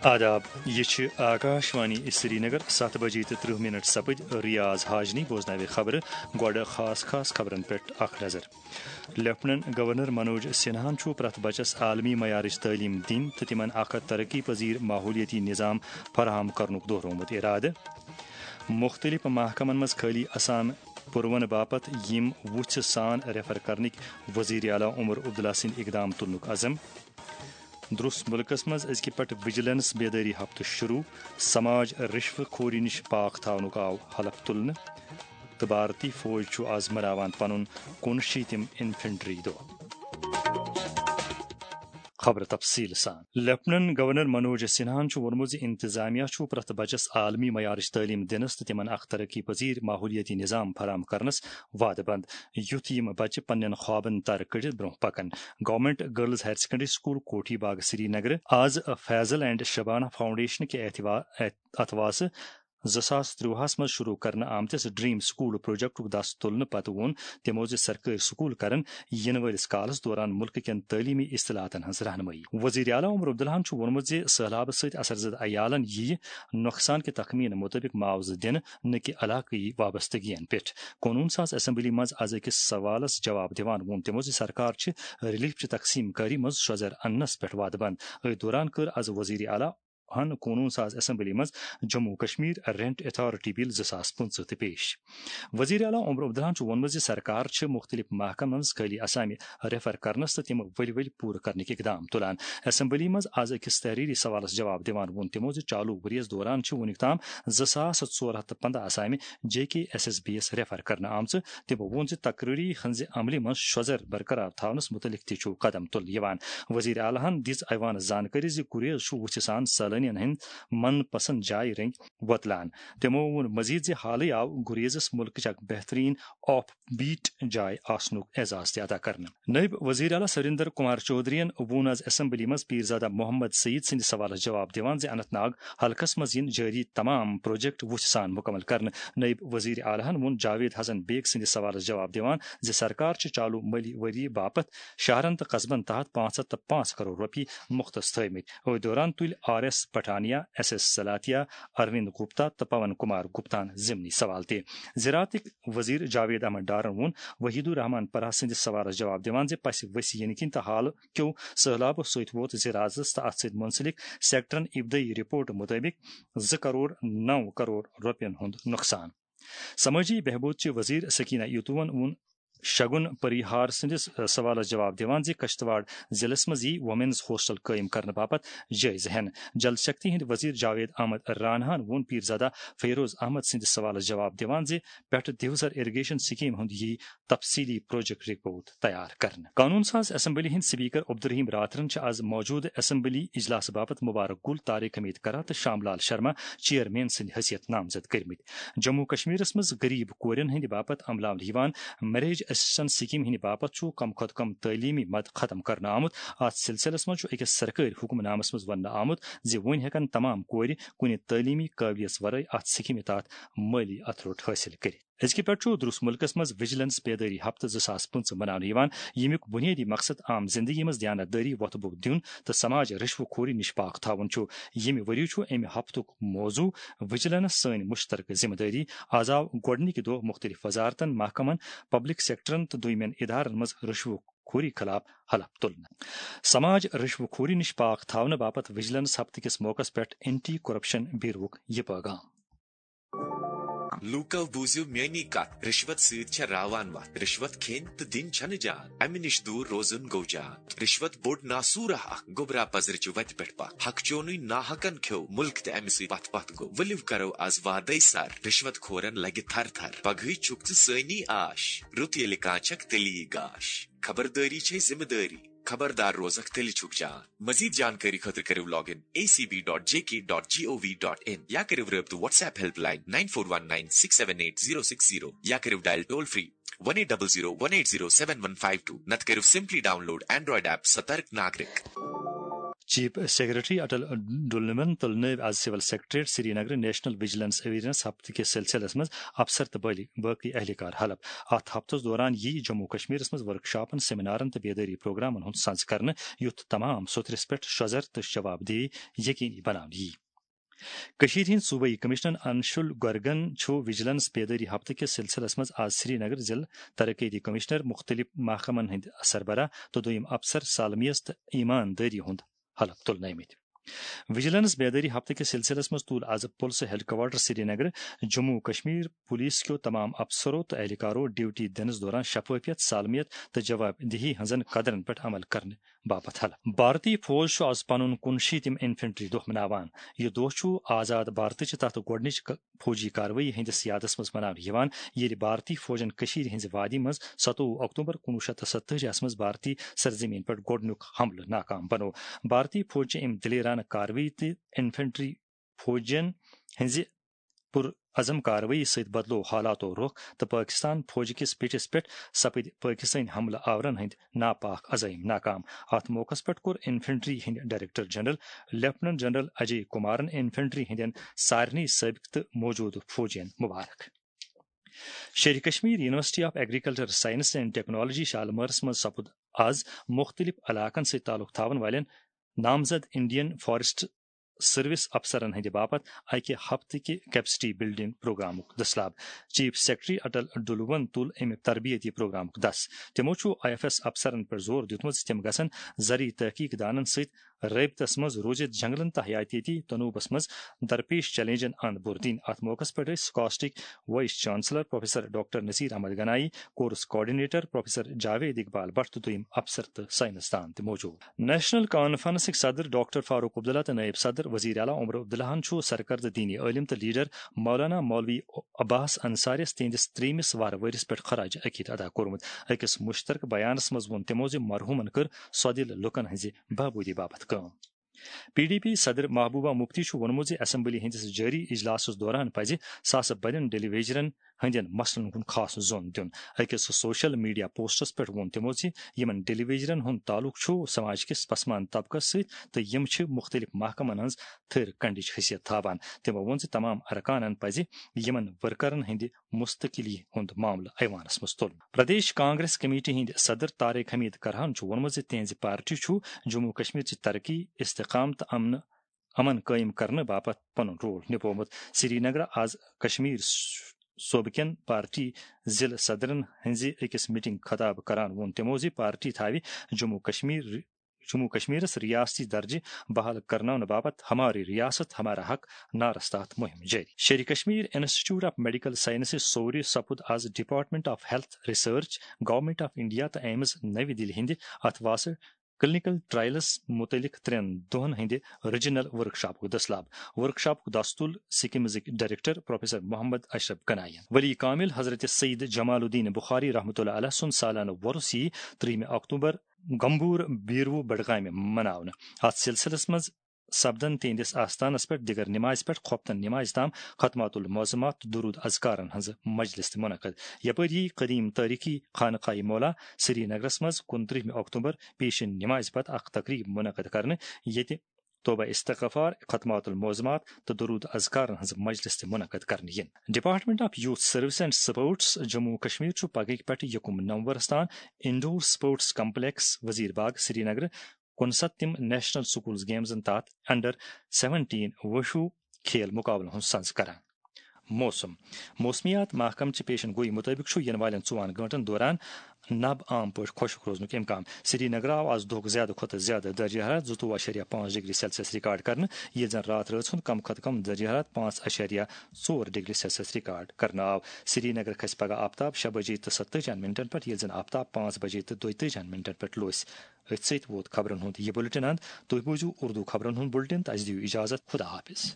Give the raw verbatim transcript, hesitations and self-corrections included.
آداب، یہِ چھِ آکاشوانی سرینگر، ستھ بجے تہٕ ترٕہ منٹ سپٕدۍ۔ ریاض حاجنی بوزناوِ خبرٕ۔ گۄڈٕ خاص خاص خبرن پٮ۪ٹھ اکھ نظر۔ لیفٹننٹ گورنر منوج سنہاہن چھُ پرٛٮ۪تھ بچس عالمی معیارٕچ تعلیٖم دِنۍ تہٕ تِمن اکھ ترقی پذیر ماحولیٲتی نظام فراہم کرنُک دۄہرومُت ارادٕ۔ مُختٔلِف محکمن منٛز خٲلی اسام پُروَن باپتھ یِم وُژھِ سان ریفر کرنٕکۍ وزیر اعلیٰ عمر عبداللہ سٕنٛدۍ اقدام تُلنُک عزم۔ درُس مُلکس منٛز أزکہِ پٮ۪ٹھ وجیلنس بیدٲری ہفتہٕ شروع، سماج رشوٕ خوری نِش پاک تھاونُک آو حلف تُلنہٕ، تہٕ بھارتی فوج چھُ آز مناوان پنُن کُنشیٖتِم انفنٹری دۄہ۔ خبر تفصیل سان۔ لیفٹننٹ گورنر منوج سنہاہن چھُ ووٚنمُت زِ انتظامیہ چھُ پرٛٮ۪تھ بچس عالمی معیارٕچ تعلیٖم دِنس تہٕ تِمن اکھ ترقی پذیر ماحولیٲتی نظام فراہم کرنس وعدٕ بنٛد، یُتھ یِم بچہٕ پننٮ۪ن خوابن تر کٔڑِتھ برٛونٛہہ پکن۔ Government girls higher secondary school Kothi Bagh Srinagar آز فیضل اینڈ شبانہ فاؤنڈیشن کہِ اعتوا-، اتھواسہٕ زٕ ساس ترٛۆہس منٛز شروع کرنہٕ آمتِس ڈریم سکول پروجیکٹُک دس تُلنہٕ پتہٕ ووٚن تِمو زِ سرکٲرۍ سکول کرن یِنہٕ وٲلِس کالس دوران مُلکہٕ کٮ۪ن تعلیٖمی اصطلاحاتن ہٕنٛز رہنمٲیی۔ وزیر اعلیٰ عمر عبداللہن چھُ ووٚنمُت زِ سٔہلابہٕ سۭتۍ اثرزدٕ عیالن یِیہِ نۄقصان کہِ تخمینہٕ مُطٲبِق معاوضہٕ دِنہٕ، نہٕ کہِ علاقٲیی وابستگین پٮ۪ٹھ۔ قونوٗن ساز اسمبلی منٛز از أکِس سوالس جواب دِوان ووٚن تِمو زِ سرکار چھِ ریلیف چہِ تقسیٖم کٲری منٛز شۄزر اننس پٮ۪ٹھ وعدٕ بنٛد۔ أتھۍ دوران کٔر از وزیر اعلیٰ ہن قونوٗن ساز اسمبلی منٛز جموں کشمیر رینٹ اتھارٹی بل زٕ ساس پٕنٛژٕہ تہِ پیش۔ وزیر اعلیٰ عمر عبداللہن چھُ ووٚنمُت زِ سرکار چھِ مُختٔلِف محکمن منٛز خٲلی اسامہِ ریفر کرنس تہٕ تِم ؤلۍ ؤلۍ پوٗرٕ کرنٕکۍ اقدام تُلان۔ اسمبلی منٛز از أکِس تحریری سوالس جواب دِوان ووٚن تِمو زِ چالو ؤریَس دوران چھِ وُنیُک تام زٕ ساس ژور ہتھ تہٕ پنٛداہ اسامہِ جے کے ایس ایس بی یس ریفر کرنہٕ آمژٕ۔ تِمو ووٚن زِ تقرری ہٕنٛزِ عملہِ منٛز شۄزر برقرار تھاونس مُتعلق تہِ چھُ قدم تُلنہٕ یِوان۔ وزیر اعلیٰ ہن دِژ ایوانس زانکٲری زِ گریز چھُ وُژھِ سان سٲلٲنین ہٕنٛدۍ من پسند جایہِ رٔنگۍ وۄتلان۔ تِمو ووٚن مزید زِ حالٕے آو گریزس مُلکٕچ اکھ بہترین آف بیٹ جاے آسنُک اعزاز تہِ عطا کرنہٕ۔ نٲیِب وزیر اعلیٰ سریندر کمار چودھرین ووٚن از اسمبلی منٛز پیرزادہ محمد سعید سٕنٛدِ سوالس جواب دِوان زِ اننت ناگ حلقس منٛز یِن جٲری تمام پروجیکٹ وُژھِ سان مُکمل کرنہٕ۔ نٲیِب وزیر اعلیٰ ہن ووٚن جاوید حسن بیگ سٕنٛدِ سوالس جواب دِوان زِ سرکار چھِ چالو مٲلی ؤری باپتھ شہرن تہٕ قصبن تحت پانٛژھ ہتھ تہٕ پانٛژھ کرور رۄپیہِ مُختص تھٲومٕتۍ۔ أتھۍ دوران تُلۍ R S Pathania, S S Slathia, Arvind Gupta تہٕ پون کمار گپتاہن ضمنی سوال تہِ۔ زراعتٕکۍ وزیر جاوید احمد ڈارن ووٚن وحید الرحمان پرہ سٕنٛدِس سوالس جواب دِوان زِ پسہِ ؤسۍ یِنہٕ کِنۍ تہٕ حالہٕ کیو سٔہلابو سۭتۍ ووت زِراعتس تہٕ اتھ سۭتۍ منسلک سیکٹرن ابتدٲیی رپورٹ مُطٲبِق زٕ کرور نو کرور رۄپین ہُنٛد نۄقصان۔ سمٲجی بہبود چہِ وزیر سکینہ ایتوون ووٚن شگن پریہار سٕنٛدِس سوالس جواب دِوان زِ کشتواڑ ضلعس منٛز یی وومینز ہاسٹل قٲیِم کرنہٕ باپتھ جٲیزٕ ہٮ۪نہٕ۔ جل شکتی ہٕنٛدۍ وزیر جاوید احمد راناہن ووٚن پیرزادہ فیروز احمد سٕنٛدِس سوالس جواب دِوان زِ پٮ۪ٹھٕ دیوزر اریگیشن سکیٖم ہُنٛد یی تفصیلی پروجیکٹ رپورٹ تیار کرنہٕ۔ قونوٗن ساز اسمبلی ہٕنٛدۍ سپیکر عبدالرحیم راتھرن چھِ از موجودٕ اسمبلی اجلاس باپتھ مبارک گل، طارق حمید کرہ تہٕ شام لال شرما چیئرمین سٕنٛدِ حیثیت نامزد کٔرمٕتۍ۔ جموں کشمیرس منٛز غریب کورٮ۪ن ہٕنٛدِ باپتھ عملاونہٕ یِوان میریج اسسٹنس سکیٖم ہٕنٛدِ باپتھ چھُ کم کھۄتہٕ کم تعلیمی مد ختم کرنہٕ آمُت۔ اتھ سلسلس منٛز چھُ أکِس سرکٲرۍ حکم نامس منٛز وننہٕ آمُت زِ وۄنۍ ہٮ۪کن تمام کورِ کُنہِ تعلیمی قٲبلیت ورٲے اتھ سکیٖمہِ تحت مٲلی اتھروٹ حٲصِل کٔرِتھ۔ أزکہِ پٮ۪ٹھ چھُ درُس مُلکس منٛز وجیلنس بیدٲری ہفتہٕ زٕ ساس پٕنٛژٕہ مناونہٕ یِوان، ییٚمیُک بُنیٲدی مقصد عام زندگی منٛز دیانت دٲری وۄتھٕ بوٚو دیُن تہٕ سماج رشوٕ خوری نِش پاک تھاوُن چھُ۔ ییٚمہِ ؤریہِ چھُ اَمہِ ہفتُک موضوع وجیلنس سٲنۍ مُشترکہٕ ذمہٕ دٲری۔ از آو گۄڈٕنِکہِ دۄہ مُختٔلِف وزارتن، محکمن، پبلک سیکٹرن تہٕ دوٚیمٮ۪ن ادارن منٛز رشوٕ خوری خلاف حلف تُلنہٕ۔ سماج رشوٕ خوری نِش پاک تھاونہٕ باپتھ وجیلنس ہفتہٕ کِس موقعس پٮ۪ٹھ اینٹی کرپشن بیوروُک یہِ پیغام۔ لوٗکو بوٗزِو میٲنی کتھ، رشوت سۭتۍ چھےٚ راوان وتھ۔ رشوت کھیٚنۍ تہٕ دِنۍ چھنہٕ جان، امہِ نِش دوٗر روزُن گوٚو جان۔ رشوت بوٚڑ ناسوٗرہ اکھ، گوٚبرا پزرٕچہِ وتہِ پٮ۪ٹھ پتھ۔ حق چونُے ناحقن کھیوٚو مُلک تہٕ امہِ سۭتۍ پتھ پتھ گوٚو۔ ؤلِو کرو از وادے سر، رشوت خورن لگہِ تھر تھر۔ پگہٕے چھُکھ ژٕ سٲنی آش، رُت ییٚلہِ کانٛہہ چھکھ تیٚلی گاش۔ خبردٲری چھے ذمہٕ دٲری، خبردار روزکھ تیٚلہِ چھُکھ جان۔ مزید جانکٲری خٲطرٕ کٔرِو log in A C B dot J K dot G O V dot in یا کٔرِو رٲبطہٕ WhatsApp helpline nine four one nine six seven eight zero six zero یا کٔرِو dial toll free one eight double zero one eight zero seven one five two، نتہٕ کٔرِو simply download Android app Satark Nagrik. Chief secretary Atal ڈلونن تُل نٲوۍ آز civil secretariat Srinagar national vigilance awareness ہفتہٕ کِس سلسلس منٛز افسر تہٕ بٲلی-، باقی اہلکار حلف۔ اتھ ہفتس دوران ییہِ جموں کشمیرس منٛز ورکشاپن، سیمینارن تہٕ بیدٲری پروگرامن ہُنٛد سنز کرنہٕ، یُتھ تمام سوٚتھرِس پٮ۪ٹھ شۄزر تہٕ شفاف دیہی یقینی بناونہٕ یِیہِ۔ کٔشیٖرِ ہٕنٛدۍ صوبٲئی کمشنر انشول گرگن چھُ وجیلنس بیدٲری ہفتہٕ کِس سلسلس منٛز آز سری نگر ضلع ترقیتی کمشنر، مختلف محکمن ہٕنٛدۍ سربراہ تہٕ دوٚیِم افسر سالمیت تہٕ ایماندٲری ہُنٛد حلف تُلنٲومٕتۍ۔ وجیلنس بیدٲری ہفتہٕ کِس سلسلس منٛز تُل آز پُلسہٕ ہیڈکوارٹر سری نگر جموں کشمیر پولیس کیو تمام افسرو تہٕ اہلکارو ڈیوٹی دِنس دوران شفافیت، سالمیت تہٕ جواب دہی ہٕنٛزن قدرن پٮ۪ٹھ عمل کرنہٕ باپتھ حلف۔ بھارتی فوج چھُ آز پنُن کُنشیٖتِم انفنٹری دۄہ مناوان۔ یہِ دۄہ چھُ آزاد بھارتٕچ تتھ گۄڈٕنِچ ک-، فوجی کاروٲیی ہٕنٛدِس یادس منٛز مناونہٕ یِوان، ییٚلہِ بھارتی فوجن کٔشیٖرِ ہٕنٛزِ وادی منٛز ستووُہ اکتوبر کُنوُہ شیٚتھ تہٕ ستتٲجی ہس منٛز بھارتی سرزمین پٮ۪ٹھ گۄڈٕنیُک حملہٕ ناکام بنوو۔ بھارتی فوج چہِ امہِ دلیرانہٕ کاروٲیی تہٕ انفنٹری فوجین ہٕنٛزِ پُر عزم کاروٲیی سۭتۍ بدلوو حالاتو رُخ تہٕ پٲکستان فوج کِس پیٹھِس پٮ۪ٹھ سپٕدۍ پٲکستٲنۍ حملہٕ آورن ہٕنٛدۍ ناپاک عزٲیِم ناکام۔ اتھ موقعس پٮ۪ٹھ کوٚر انفنٹری ہٕنٛدۍ director general lieutenant general Ajay کمارن انفنٹری ہٕنٛدٮ۪ن سارنٕے سٲبق تہٕ موجودٕ فوجین مبارک۔ Sher e Kashmir university of agriculture science and technology شالمٲرس منٛز سپُد آز مختلف علاقن سۭتۍ تعلق تھاون والٮ۪ن نامزد انڈین فارسٹ سروس افسرن ہٕنٛدِ باپتھ اکہِ ہفتہٕ کہِ کیپیسٹی بلڈنگ پروگرامُک دٔسلاب۔ چیف سیکرٹری اٹل ڈلوون تُل امہِ تربیتی پروگرامُک دس۔ تِمو چھُ آئی ایف ایس افسرن پٮ۪ٹھ زور دیُتمُت زِ تِم گژھن زرعی تحقیق دانن سۭتۍ رٲبطس منٛز روٗزِتھ جنگلن تہٕ حیاتیٲتی تنوعس منٛز درپیش چیلنجن اند بُر دِنۍ۔ اتھ موقعس پٮ۪ٹھ ٲسۍ سکاسٹٕکۍ vice chancellor professor doctor Nazir Ahmad Ganai, course coordinator professor Javed Iqbal Bhat تہٕ دوٚیِم افسر تہٕ سائنسدان تہِ موجود۔ نیشنل کانفرنسٕکۍ صدر ڈاکٹر فاروق عبداللہ تہٕ نائب صدر وزیر اعلیٰ عمر عبداللہن چھُ سرکردٕ دینی عٲلم تہٕ لیڈر مولانا مولوی عباس انصاریس تِہنٛدِس ترٛیٚیمِس وارٕ ؤرِس پٮ۪ٹھ خراج عقیدت ادا کوٚرمُت۔ أکِس مشترکہٕ بیانس منٛز ووٚن تِمو زِ مرحومن کٔر سۄدِل لوٗکن ہٕنٛزِ بہبوٗدی باپتھ کٲم۔ پی ڈی پی صدر محبوبہ مفتی چھُ ووٚنمُت زِ اسمبلی ہٕنٛدِس جٲری اجلاسَس دوران پزِ ساسہٕ بٔدٮ۪ن ڈیلی ویجرن ہٕنٛدٮ۪ن مسلن کُن خاص زون دیُن۔ أکِس سوشل میڈیا پوسٹس پٮ۪ٹھ ووٚن تِمو زِ یِمن ڈیلی ویجرن ہُنٛد تعلق چھُ سماج کِس پسماندٕ طبقس سۭتۍ تہٕ یِم چھِ مُختٔلِف محکمن ہٕنٛز تھٔر کنڈٕچ حیثیت تھاوان۔ تِمو ووٚن زِ تمام ارکانن پزِ یِمن ورکرن ہٕنٛدِ مستقلی ہُنٛد معاملہٕ ایوانس منٛز تُلُن۔ پردیش کانگریس کمیٹی ہٕنٛدۍ صدر طارق حمید کرہن چھُ ووٚنمُت زِ تِہنٛزِ پارٹی چھُ جموں کشمیر چہِ ترقی، استحکام تہٕ امن امن قٲیِم کرنہٕ باپتھ پنُن رول نبوومُت۔ سری نگر آز کشمیر صوبہٕ کٮ۪ن پارٹی ضلع صدرن ہٕنٛزِ أکِس میٹنگ خطاب کران ووٚن تِمو زِ پارٹی تھاوِ جموں کشمیر، جموں کشمیرس ریاستی درجہٕ بحال کرناونہٕ باپتھ ہماری ریاست ہمارا حق نعرس تحت مہم جٲری۔ Sher e Kashmir institute of medical sciences Soura سپُد آز department of health research, government of India تہٕ ایمز نَوِ دِلہِ ہٕنٛدِ اتھ واسہٕ کلینیکل ٹرائلس متعلق ترٛٮ۪ن دۄہن ہٕنٛدِ ریجنل ورکشاپُک دٔسلاب۔ ورکشاپُک دستور سکمزٕکۍ ڈائریکٹر پروفیسر محمد اشرف گناین۔ ولی کامل حضرت سید جمال الدین بخاری رحمۃ اللہ علیہ سُنٛد سالانہٕ وۄرُس یی ترٛیٚیِمہِ اکتوبر گمبور بیروٗ بڈگامہِ مناونہٕ۔ اتھ سلسلس منٛز سپدن تہنٛدِس آستانس پٮ۪ٹھ دِگر نمازِ پٮ۪ٹھ خۄفتن نمازِ تام ختمات المعظمات تہٕ درود اذکارن ہٕنٛز مجلس تہِ منعقد۔ یپٲرۍ یی قدیم تٲریخی خانقاہ مولا سری نگرس منٛز کُنترٛہمہِ اکتوبر پیشن نمازِ پتہٕ اکھ تقریب منعقد کرنہٕ، ییٚتہِ توبہ استغفار، ختمات المعظمات تہٕ درود اذکارن ہٕنٛز مجلس تہِ منعقد کرنہٕ یِن۔ Department of youth service and sports Jammu و کشمیر چھُ پگہٕکۍ پٮ۪ٹھٕ یکُم نومبرس تام انڈور سپورٹس کمپلیکس وزیر باغ سری نگر کُنسَتتِم نیشنل سکولز گیمزن تحت انڈر سیونٹین وُشو کھیل مقابلن ہُنٛد سنز کران۔ موسم۔ موسمیات محکمہٕ چہِ پیشن گوئی مطٲبق چھُ یِنہٕ والٮ۪ن ژۄن گٲنٛٹن دوران نب عام پٲٹھۍ خۄشک روزنُک امکان۔ سری نگر آو آز دۄہُک زیادٕ کھۄتہٕ زیادٕ درجہ حرارت زٕتووُہ اَشاریہ پانٛژھ ڈگری سیلسیس ریکارڈ کرنہٕ، ییٚلہِ زن راتھ رٲژ ہُنٛد کم کھۄتہٕ کم درجہ حرارت پانٛژھ اَشاریہ ژور ڈگری سیلسیس ریکارڈ کرنہٕ آو۔ سری نگر کھسہِ پگہہ آفتاب شےٚ بجے تہٕ ستٲجی ہن منٹن پٮ۪ٹھ، ییٚلہِ زن آفتاب پانٛژھ بجے تہٕ دۄیتٲجی ہن منٹن پٮ۪ٹھ لوسہِ۔ أتھۍ سۭتۍ ووت خبرن ہُنٛد یہِ بُلٹن اند۔ تُہۍ بوٗزِو اردو خبرن ہُنٛد بُلٹن تہٕ اَسہِ دِیِو اجازت۔ خدا حافظ۔